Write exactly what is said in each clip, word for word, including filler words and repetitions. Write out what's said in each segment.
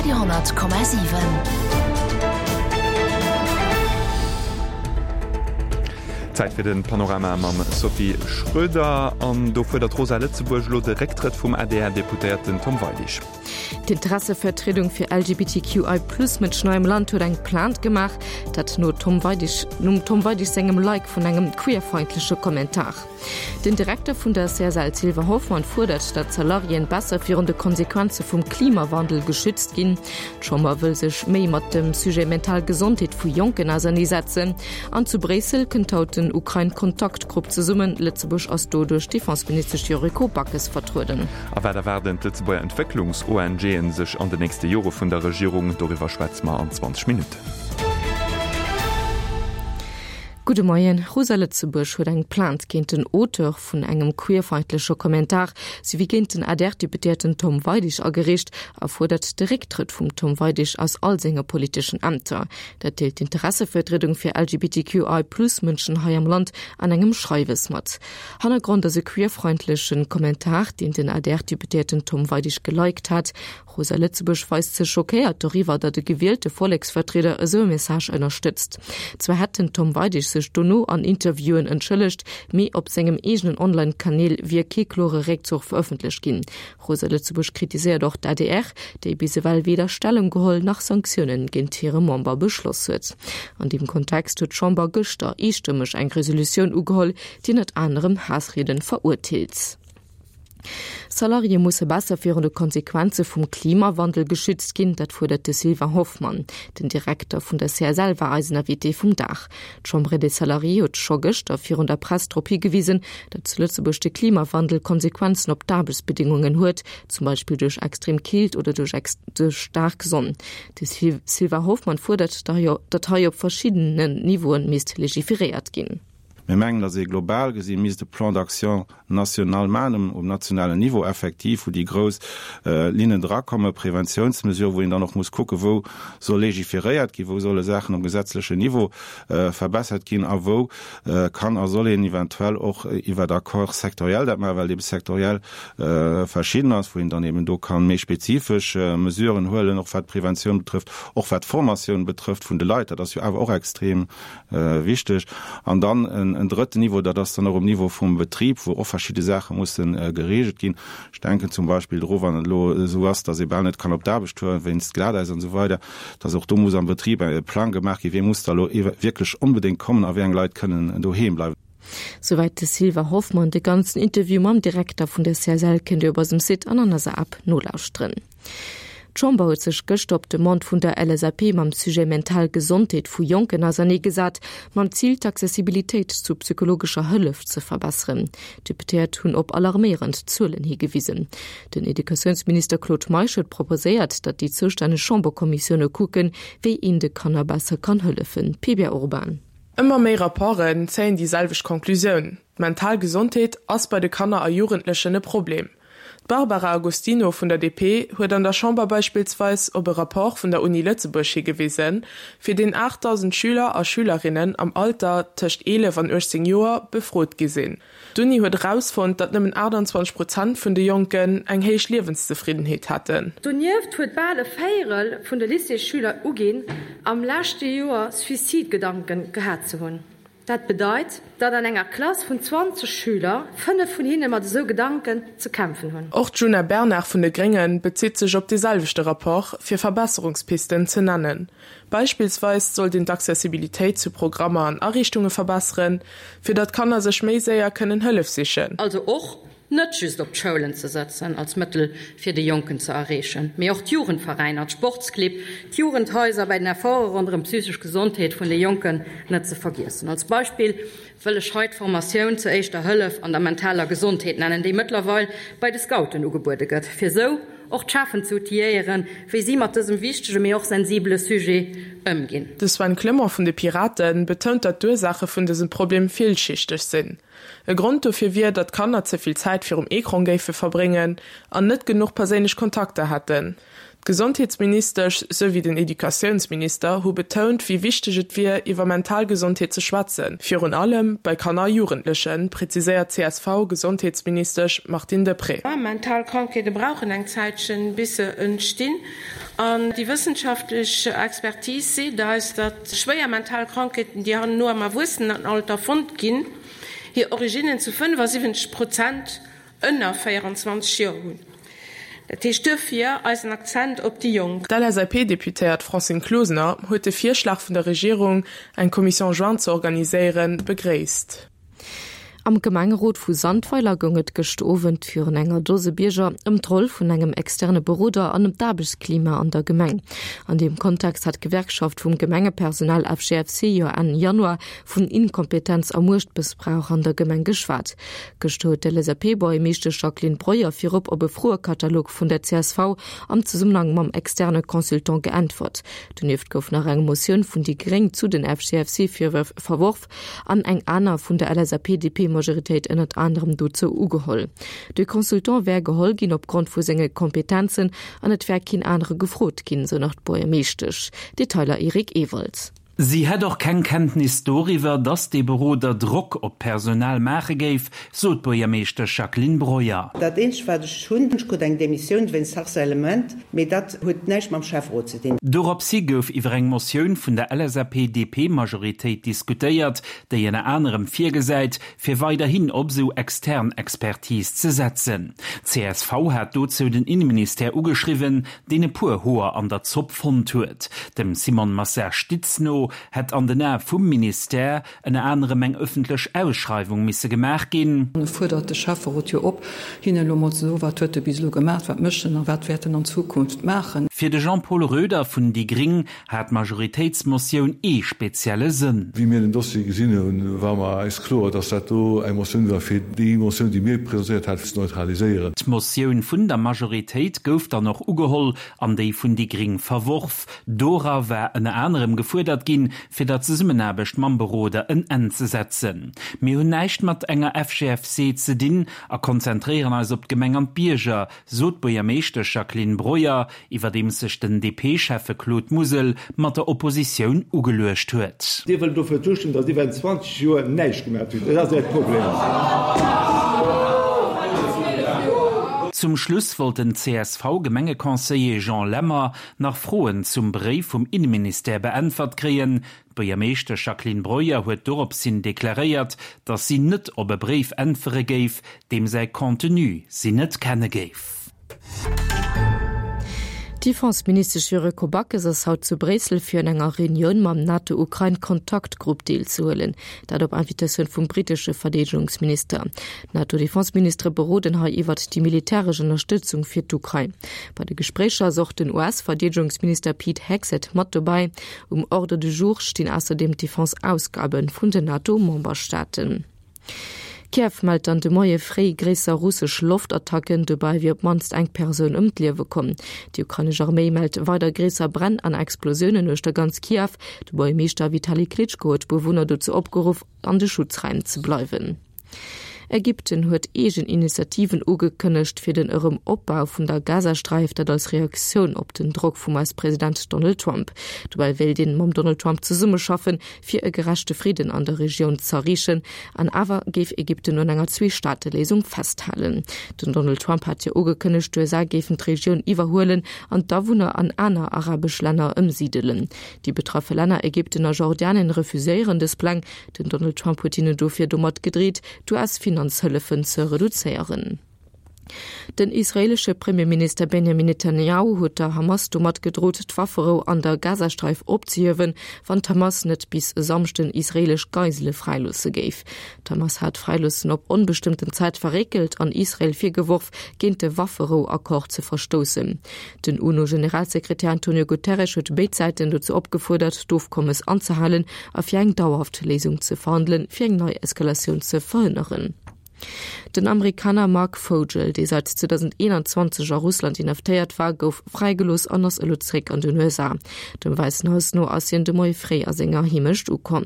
Radio honnert Komma siwen. Zäit fir den Panorama mam Sophie Schröder. An do fuerdert Rosa Lëtzebuerg elo de Récktrëtt vum A D R-Deputéierten Tom Weidig. D'Interessevertriedung fir L G B T Q I plus Mënschen hei am Land huet eng Plainte gemaach, dat no Tom Weidig, nom Tom Weidig sengem Like vun engem queerfeindleche Kommentar. Den Direkter vun der C S L Sylvain Hoffmann fuerdert, datt Salariéen besser virun de Konsequenze vum Klimawandel geschützt ginn. D'Chamber wëll sech méi mat dem Sujet mental Gesondheet vu Jonken auserneesetzen. An zu Bréissel kënnt haut den Ukrain-Kontaktgrupp zesummen. Lëtzebuerg ass do duerch d'Defenseministesch Yuriko Backes vertrueden. A wat erwaarden d'Lëtzebuerger Entwécklungs-O N G'en sech an den nächste Jore vun der Regierung? Doriwwer schwätze mer an zwanzeg Minutten. Gudde Moien. Rosa Lëtzebuerg huet eng Plainte géint den Auteur vun engem queerfeindleche Kommentar souwéi géint den A D R-Deputéierten Tom Weidig agereecht a fuerdert de Récktrëtt vum Tom Weidig aus all senge politeschen Ämter. Dat deelt d'Interessevertriedung fir L G B T Q I plus Mënschen hei am Land an engem Schreiwes mat. Hannergrond ass e queerfeindleche Kommentar, deen den A D R-Deputéierten Tom Weidig geliked hat. Rosa Lëtzebuerg weist sech schockéiert doriwwer, datt e gewielte Volleksvertrieder esou e Message ënnerstëtzt. Zwar hätt den Tom Weidig sech dono an Interviewen entschëllegt, mee op sengem eegenen Online-Kanäl wier kee klore Réckzuch verëffentlecht ginn. Rosa Lëtzebuerg kritiséiert och d'A D R, déi bis ewell weder Stellung geholl nach Sanktioune géint hire Member beschloss huet. An deem Kontext huet d'Chamber gëschter eestëmmeg eng Resolutioun ugeholl, déi ënnert anerem Haassriede verurteelt. Salariéë musse besser virun de Konsequenze vum Klimawandel geschützt ginn, dat fuerdert de Sylvain Hoffmann. Den Direkter vun der C S L war eisen Invité vum Dag. D'Chambre des Salariés huet scho gëschter virun der Press drop higewisen, datt zu Lëtzebuerg de Klimawandel Konsequenzen op d'Aarbechtsbedingungen huet, zum Beispill duerch extrem Keelt oder duerch duerch staark Sonn. De Sylvain Hoffmann fuerdert, datt hei op verschiddenen Niveaue misst legiferéiert ginn. Mir mengen, datt ee global gesi misst de Plan d'action national maachen um nationalen Niveau effektiv, wou déi grouss äh, Linnen drakomme, Preventiounsmesuren, wou een dann och muss kucke wou soll legiferéiert ginn, wou solle Saachen um gesetzlechen Niveau äh, verbessert ginn a wou äh, kann a soll een eventuell och iwwer Accord sectoriel dat maachen, well eben sektoriell äh, verschidden ass, wou een dann eben do kann méi spezifesch äh, Mesuren huelen, och wat Preventioun betrëfft, och wat Formatioun betrëfft vun de Leit, dat ass jo awer och extrem äh, wichteg. An dann en, en drëtten Niveau, dat ass dann och um Niveau vum Betrib, wou och verschidde Saache mussen äh, gereegelt ginn. Ech denken zum Beispill dru wann et lo sou ass, datt ee bal net kann op d'Aarbecht fueren wéinst Glatäis an sou weider, datt och do muss am Betrib e Plang gemaach ginn, wie muss da lo wierklech onbedéngt kommen a wéi eng Leit kënnen doheem bleiwen. Souwäit de Sylvain Hoffmann. De ganzen Interview mam Direkter vun der C S L kënnt Dir op eisem Site an an eiser App nolauschteren. D'Chamber huet sech gëschter op Demande vun der L S A P mam Sujet mental Gesondheet vu Jonken auserneegesat, mam Zil d'Accessibilitéit zu psychologescher Hëllef ze verbesseren. D'Deputéiert hunn op alarméierend Zuelen higewisen. Den Educatiounsminister Claude Meisch huet proposéiert, datt déi zoustänneg Chamberkommissioune kucken, wéi een de Kanner besser kann hëllefen. P B Urban. Ëmmer méi Rapporten zéien déi selwecht Konklusioun. D'mental Gesondheet ass bei de Kanner a Jugendlechen e Problem. D'Barbara Agostino vun der D P huet an der Chamber beispillsweis op e Rapport vun der Uni Lëtzebuerg higewisen, fir deen aachtdausend Schüler a Schülerinnen am Alter tëscht eelef an uechtzéng Joer befrot gi sinn. D'Uni huet erausfonnt, datt nëmmen aachtanzwanzeg Prozent vun de Jonken eng héich Liewenszefriddenheet hätten. Donieft huet bal e Véierel vun de Lycéesschüler uginn, am leschte Joer Suizidgedanken gehat ze hunn. Dat bedeit, datt an enger Klass vun zwanzeg Schüler fënnef vun hinne mat esou Gedanken ze kämpfen hunn. Och d'Djuna Bernard vun de Gréngen bezitt sech op dee selwechte Rapport, fir Verbesserungspisten ze nennen. Beispillsweis sollt een d'Accessibilitéit zu Programmer an Ariichtunge verbesseren, fir datt Kanner sech méi séier kënnen Hëllef sichen. Also och net just op d'Schoulen ze setzen als Mëttel fir déi Jonken ze erreechen, mee och d'Jugendveräiner, d'Sportsclibb, d'Jugendhaiser bei den Efforte ronderëm psychesch Gesondheet vun de Jonken net ze vergiessen. Als Beispill wëll ech hei d'Formatioun zur éischter Hëllef an der mentaler Gesondheet nennen, déi mëttlerweil bei de Scouten ugebuede gëtt, fir sou och d'Cheffen ze outilléieren, wéi si mat dësem wichtege mee och sensibele Sujet ëmginn. De Sven Clement vun de Piraten betount, datt d'Ursaache vun dësem Problem villschichteg sinn. E Grond dofir wier, datt Kanner ze vill Zäit virum Ecran géife verbréngen an net genuch perséinlech Kontakter hätten. D'Gesondheetsministesch souwéi den Educatiounsminister hu betount, wéi wichteg et wier, iwwer mental Gesondheet ze schwätzen, virun allem bei Kanner a Jugendlechen, präziséiert C S V-Gesondheetsministesch Martine Deprez. Mental Krankheete brauchen eng Zäitchen, bis se entstinn. An déi wëssenschaftlech Expertise seet eis, datt schwéier mental Krankheeten, déi herno am Erwuessenenalter fonnt ginn, hir Originnen zu fënnefasiwwenzeg Prozent ënner véierundzwanzeg Joer hunn. Dat heescht duerfir eisen Akzent op déi Jonk. D'LSAP-Deputéiert Francine Closener huet de Virschlag vun der Regierung, eng Commission jointe ze organiséieren, begréisst. Am Gemengerot vu Sandweiler goung et gëscht Owend virun enger Dose Bierger ëm d'Roll vun engem externe Beroder an ëm d'Aarbechtsklima an der Gemeng. An deem Kontext hat d'Gewerkschaft vum Gemengepersonal F G F C jo Enn Januar vun Inkompetenz a Muechtmëssbrauch an der Gemeng geschwat. Gëschter huet d'L S A P-Buergermeeschtesch Jacqueline Breuer virop op e Froekatalog vun der C S V am Zesummenhang mam externe Consultant geäntwert. Donieft gouf nach eng Motioun vun déi Gréng zu den F G F C-Virwërf verworf an eng aner vun der L S A P D P-Majoritéit ënnert anerem dozou ugeholl. De Consultant wär geholl ginn opgrond vu senge Kompetenzen an et wär keen anere gefrot ginn, sou nach d'Buergermeeschtesch. Detailer Eric Ewald. Si hätt och keng Kenntnis doriwwer, datt dee Beroder Drock op d'Personal maache géif, sot d'Buergermeeschtesch Jacqueline Breuer. Dat eenzegt wat ech hunn, ech krut eng Demissioun wéinst Harcèlement, mee dat huet näischt mam Schäfferot ze dinn. Doropshi gouf iwwer eng Motioun vun der L S A P D P-Majoritéit diskutéiert, déi ënner anerem virgesäit, fir weiderhin op esou extern Expertise ze setzen. C S V hat dozou den Inneministère ugeschriwwen, deen e puer Hoer an der Zopp fonnt huet. Dem Simone Massard-Stitz no hätt an den Ae vum Ministère ënner anerem eng ëffentlech Ausschreiwung misse gemaach ginn. E fuerdert de Schäfferot jo op, hinnen elo mol ze soen, wat huet e bis elo gemaach, wat mécht en a wat wäert en an Zukunft maachen. Fir de Jean-Paul Roeder vun déi Gring hat d'Majoritéitsmotioun ee spezielle Sënn. Wéi mir den Dossier gesinn hunn, war mer eis kloer, dass dat do eng Motioun war, fir déi Motioun, déi mir presentéiert haten, ze neutraliséieren. D'Motioun vun der Majoritéit gouf dann och ugeholl an déi vun déi Gring verworf. Dora war ënner anerem gefuerdert ginn, fir der Zesummenaarbecht mam Beroder en Enn ze setzen. Mir hunn näischt mat enger F G F C ze dinn a konzentréieren eis op d'Gemeng an d'Bierger, sot d'Buergermeeschtesch Jacqueline Breuer, iwwerdeems sech den D P-Schäffe Claude Musel mat der Oppositioun ugeluecht huet. Dir wëllt dofir zoustëmmen, datt dir während zwanzeg Joer näischt gemaach hutt. Dat ass Äert Problem. Zum Schluss wollt den C S V-Gemengeconseiller Jean Lemmer nach Froen zum Bréif vum Inneministère beäntwert kréien. D'Buergermeeschtesch Jacqueline Breuer huet doropshin deklaréiert, datt si net op e Bréif äntwere géif, deem säi Contenu si net kenne géif. D'Defenseministesch Yuriko Backes ass haut zu Bréissel fir un enger Reunioun mam NATO-Ukrain-Kontaktgrupp deelzehuelen, dat op Invitatioun vum brittesche Verdeedegungsminister. D'NATO-Defenseministere beroden hei iwwert déi militäresch Ënnerstëtzung fir d'Ukrain. Bei de Gespréicher ass och den U S-Verdeedegungsminister Pete Hegseth mat dobäi. Um Ordre du jour stinn ausserdeem d'Defense-Ausgabe vun den NATO-Memberstaaten. Kiew mellt dann de Moie fréi gréisser russesch Loftattacken, dobäi wier op d'mannst eng Persoun ëm d'Liewe komm. Déi ukrainesch Arméi mellt weider gréisser Bränn an Explosiounen uechter ganz Kiew. De Buergermeeschter Vitali Klitschko huet d'Bewunner dozou opgeruff, an de Schutzraim ze bleiwen. Ägypten huet eegen Initiativen ugekënnegt fir den Erëmopbau vun der Gazasträif, dat als Reaktioun op den Drock vum U S-President Donald Trump. Dobäi wéilt een mam Donald Trump zesummeschaffen, fir e gerechte Fridden an der Regioun z'erreechen, an awer géif Ägypten un enger Zwee-Staate-Léisung festhalen. Den Donald Trump hat jo ugekënnegt, d'U S A géifen d'Regioun iwwerhuelen an d'Awunner an aner arabesch Länner ëmsidelen. Déi betraffe Länner Ägypten a Jordanien refuséieren dës Pläng. Den Donald Trump huet hinnen dofir domat gedreet, d'U S-Finanzhëllefen ze reduzéieren. Den israeelesche Premierminister Benjamin Netanjahu huet der Hamas domat gedrot, d'Wafferou an der Gazasträif opzehiewen, wann d'Hamas net bis e Samschden israeelesch Geisele fräiloosse géif. D'Hamas hat d'Fräiloossen op onbestëmmten Zäit verréckelt an Israel virgeworf, géint de Wafferou-Accord ze verstoussen. Den UNO-Generalsekretär Antonio Guterres huet béid Säiten dozou opgefuerdert, d'Ofkommes anzehalen a fir eng dauerhaft Léisung ze verhandelen, fir eng nei Eskalatioun ze verhënneren. Den Amerikaner Marc Fogel, dee säit zweedausendeenanzwanzeg a Russland inhaftéiert war, gouf fräigelooss an ass elo zeréck an den U S A. Dem Wäissen Haus no ass hien de Moie fréi a senger Heemecht ukomm.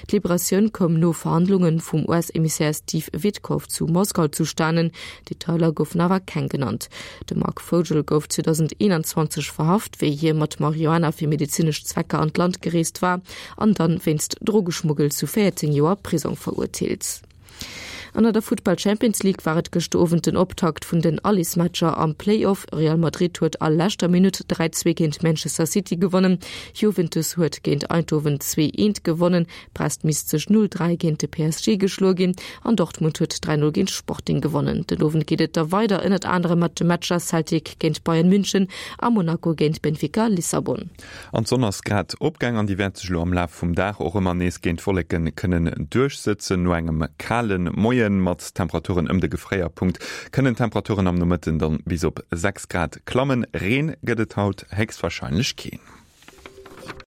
D'Liberatioun koum no Verhandlunge vum U S-Emissär Steve Witkoff zu Moskau zustanen, Detailer goufen awer keng genannt. De Marc Fogel gouf zweedausendeenanzwanzeg verhaft, wéi hie mat Marihuana fir medezinesch Zwecker an d'Land gereest war an dann wéinst Drogeschmuggel zu véierzéng Joer Prisong verurteelt. An der Futtball Champions League war et gëschter Owend den Optakt vun den Allesmatcher am Playoff. Real Madrid huet a leschter Minutt dräi zwee géint Manchester City gewonnen. Juventus huet géint Eindhoven zwee eent gewonnen. Brest misst sech null dräi géint de P S G geschloe ginn an Dortmund huet dräi null géint Sporting gewonnen. Den Owend geet et da weider ënnert anerem mat de Matcher Celtic géint Bayern München a Monaco géint Benfica Lissabon. An d'Sonn ass grad opgaang an déi wäert sech elo am Laf vum Dag och ëmmer nees géint d'Wolleke kënnen duerchsëtzen. No engem kale Moien mat Temperaturen ëm de Gefréierpunkt kënnen d'Temperaturen am Nomëtten dann bis op sechs Grad klammen. Reen gëtt et haut héchstwarscheinlech keen.